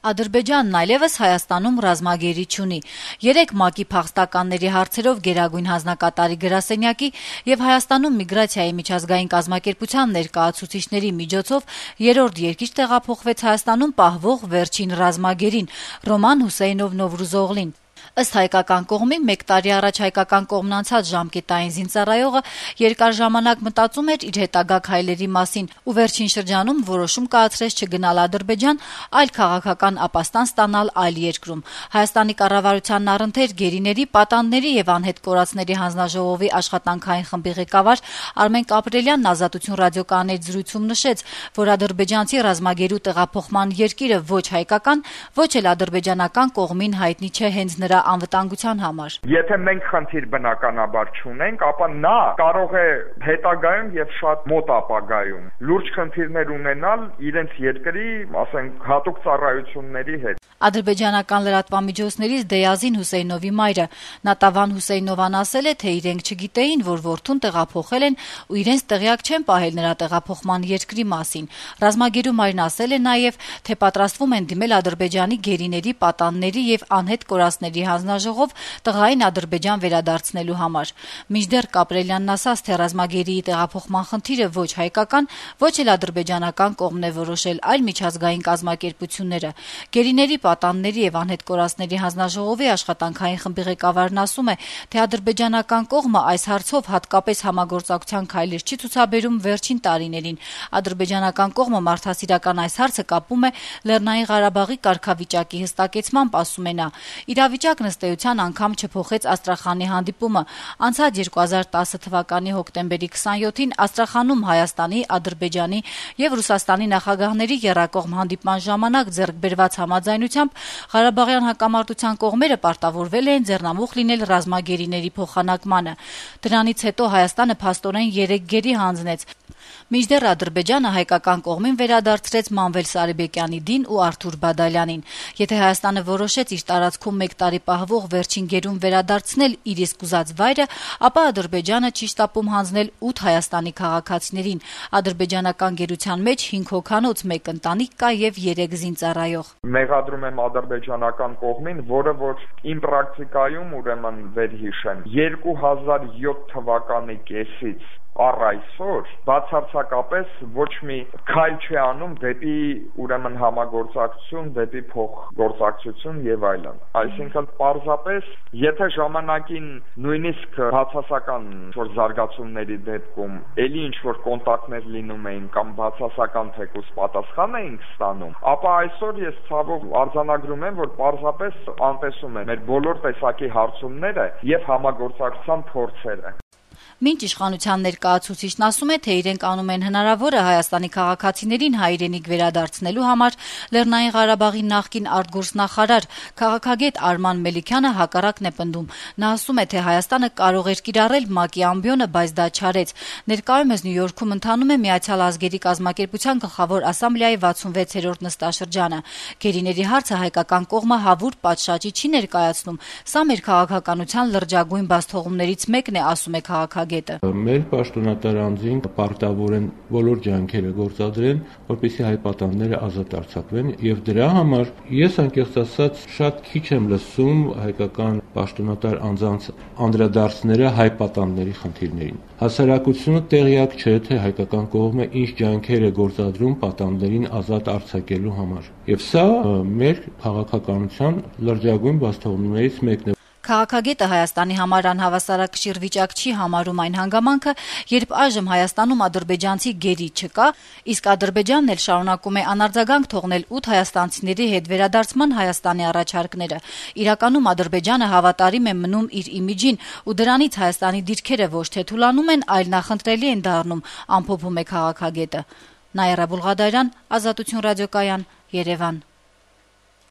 Ադրբեջանն այլևս Հայաստանում ռազմագերի չունի։ 3 ՄԱԿ-ի փախստականների հարցերով գերագույն հանձնակատարի գրասենյակի եւ Հայաստանում միգրացիայի միջազգային կազմակերպության ներկայացուցիչների միջոցով երրորդ երկիր տեղափոխվեց Հայաստանում պահվող վերջին ռազմագերին՝ Ռոման Հուսեյնով Նովրուզօղլին։ Ըստ հայկական կողմի, 1 տարի առաջ հայկական կողմն անցած ժամկետային զինծառայողը երկար ժամանակ մտածում էր իր հետագա քայլերի մասին ու վերջին շրջանում որոշում կայացրեց չգնալ Ադրբեջան, այլ քաղաքական ապաստան ստանալ այլ երկրում։ Հայաստանի կառավարությանն առընթեր գերիների, պատանդների եւ անհետ կորածների հանձնաժողովի աշխատանքային խմբի ղեկավար Արմեն Կապրելյանն Ազատություն ռադիոկայանի հետ զրույցում նշեց, որ ադրբեջանցի ռազմագերու տեղափոխման երկիրը ոչ հայկական, ոչ էլ ադրբեջանական կողմին հայտնի չէ հենց նրա անվտանգության համար։ Եթե մենք խնդիր բնականաբար չունենք, ապա նա կարող է հետագայում եւ շատ մոտ ապագայում լուրջ խնդիրներ ունենալ իրենց երկրի, ասենք, հատուկ ծառայությունների հետ։ Ադրբեջանական լրատվամիջոցներից Դեյազին Հուսեյնովի մայրը Նատավան Հուսեյնովան ասել է, թե իրենք չգիտեին, որ որդուն տեղափոխել են ու իրենց տեղյակ չեն պահել նրա տեղափոխման երկրի մասին։ Ռազմագերու մայրն ասել է նաեւ, թե պատրաստվում են դիմել Ադրբեջանի գերիների, պատանդների եւ անհետ կորածների հանձնաժողով տղային Ադրբեջան վերադարձնելու համար։ Մինչդեռ Կապրելյանն ասաց, թե ռազմագերիի տեղափոխման խնդիրը ոչ հայկական, ոչ էլ ադրբեջանական կողմն է որոշել, այլ միջազգային կազմակերպությունները։ Գերիների, պատանդների եւ անհետ կորածների հանձնաժողովի աշխատանքային խմբի ղեկավարն ասում է, թե ադրբեջանական կողմը այս հարցով հատկապես համագործակցության քայլեր չի ցուցաբերում վերջին տարիներին։ Ադրբեջանական կողմը մարդասիրական այս հարցը կապում է Լեռնային Ղարաբաղի կարգավիճակի հստակեցմամբ, ասում է նա։ Իրավիճակն ըստ էության անգամ չփոխեց Աստրախանի հանդիպումը։ Անցած 2010 թվականի հոկտեմբերի 27-ին Աստրախանում Հայաստանի, Ադրբեջանի եւ Ռուսաստանի նախագահների եռակողմ հանդիպման ժամանակ ձեռք բերված համաձայնությամբ Ղարաբաղյան հակամարտության կողմերը պարտավորվել են ձեռնամուխ լինել ռազմագերիների փոխանակմանը։ Դրանից հետո Հայաստանը փաստորեն 3 գերի հանձնեց։ Մինչդեռ Ադրբեջանը հայկական կողմին վերադարձրեց Մանվել Սարիբեկյանի դին ու Արթուր Բադալյանին։ Եթե Հայաստանը որոշեց իր տարածքում 1 տարի պահվող վերջին գերուն վերադարձնել իր իսկ ուզած վայրը, ապա Ադրբեջանը չի շտապում հանձնել 8 Հայաստանի քաղաքացիներին։ Ադրբեջանական գերության մեջ 5 հոգանոց, 1 ընտանիք կա եւ 3 զինծառայող։ Մեղադրում եմ ադրբեջանական կողմին, որը որ իմ պրակտիկայում ուրեմն վերհիշեմ 2007 թվականի կեսից առ այսօր բացարձակապես ոչ մի քայլ չի անում դեպի ուրեմն համագործակցություն, դեպի փոխգործակցություն եւ այլն։ Այսինքն պարզապես եթե ժամանակին նույնիսկ բացասական որ զարգացումների դեպքում ելի ինչ որ կոնտակտներ լինում էին կամ բացասական թեկուզ պատասխան էինք ստանում, ապա այսօր ես ցավով արձանագրում եմ, որ պարզապես անտեսում եմ մեր բոլոր տեսակի հարցումները եւ համագործակցության փորձերը։ Մինչ իշխանության ներկայացուցիչն ասում է, թե իրենք անում են հնարավորը Հայաստանի քաղաքացիներին հայրենիք վերադարձնելու համար, Լեռնային Ղարաբաղի նախկին արտգործնախարար քաղաքագետ Արման Մելիքյանը հակառակն է պնդում։ Նա ասում է, թե Հայաստանը կարող էր կիրառել ՄԱԿ-ի ամբիոնը, բայց դա չարեց։ Ներկայումս Նյու Յորքում ընթանում է Միացյալ ազգերի կազմակերպության գլխավոր ասամբլեայի 66-րդ նստաշրջանը։ Գերիների հարցը հայկական կողմը հավուր պատշաճի չի ներկայացնում։ Սա մեր քաղաքականության լրջագույն բացթողումներից մեկն է, ասում է քաղաքագետը։ Մեր պաշտոնատար անձին պարտավոր են բոլոր ջանքերը գործադրեն, որպեսզի հայ պատանդները ազատ արձակվեն, եւ դրա համար ես անկեղծ ասած շատ քիչ եմ լսում հայկական պաշտոնատար անձանց անդրադարձները հայ պատանդների խնդիրներին։ Հասարակությունը տեղյակ չէ, թե հայկական կողմը ինչ ջանքեր է գործադրում պատանդներին ազատ արձակելու համար։ Եվ սա մեր քաղաքականության լրջագույն բացթողումներից մեկն է։ Քաղաքագետը Հայաստանի համար անհավասարակշիռ վիճակ չի համարում այն հանգամանքը, երբ այժմ Հայաստանում ադրբեջանցի գերի չկա, իսկ Ադրբեջանն էլ շարունակում է անարձագանք թողնել 8 հայաստանցիների հետ վերադարձման Հայաստանի առաջարկները։ Իրականում Ադրբեջանը հավատարիմ է մնում իր իմիջին ու դրանից Հայաստանի դիրքերը ոչ թե թուլանում են, այլ նախընտրելի են դառնում, ամփոփում է քաղաքագետը։ Նաիրա Բուլղադարյան, Ազատություն ռադիոկայան, Երևան։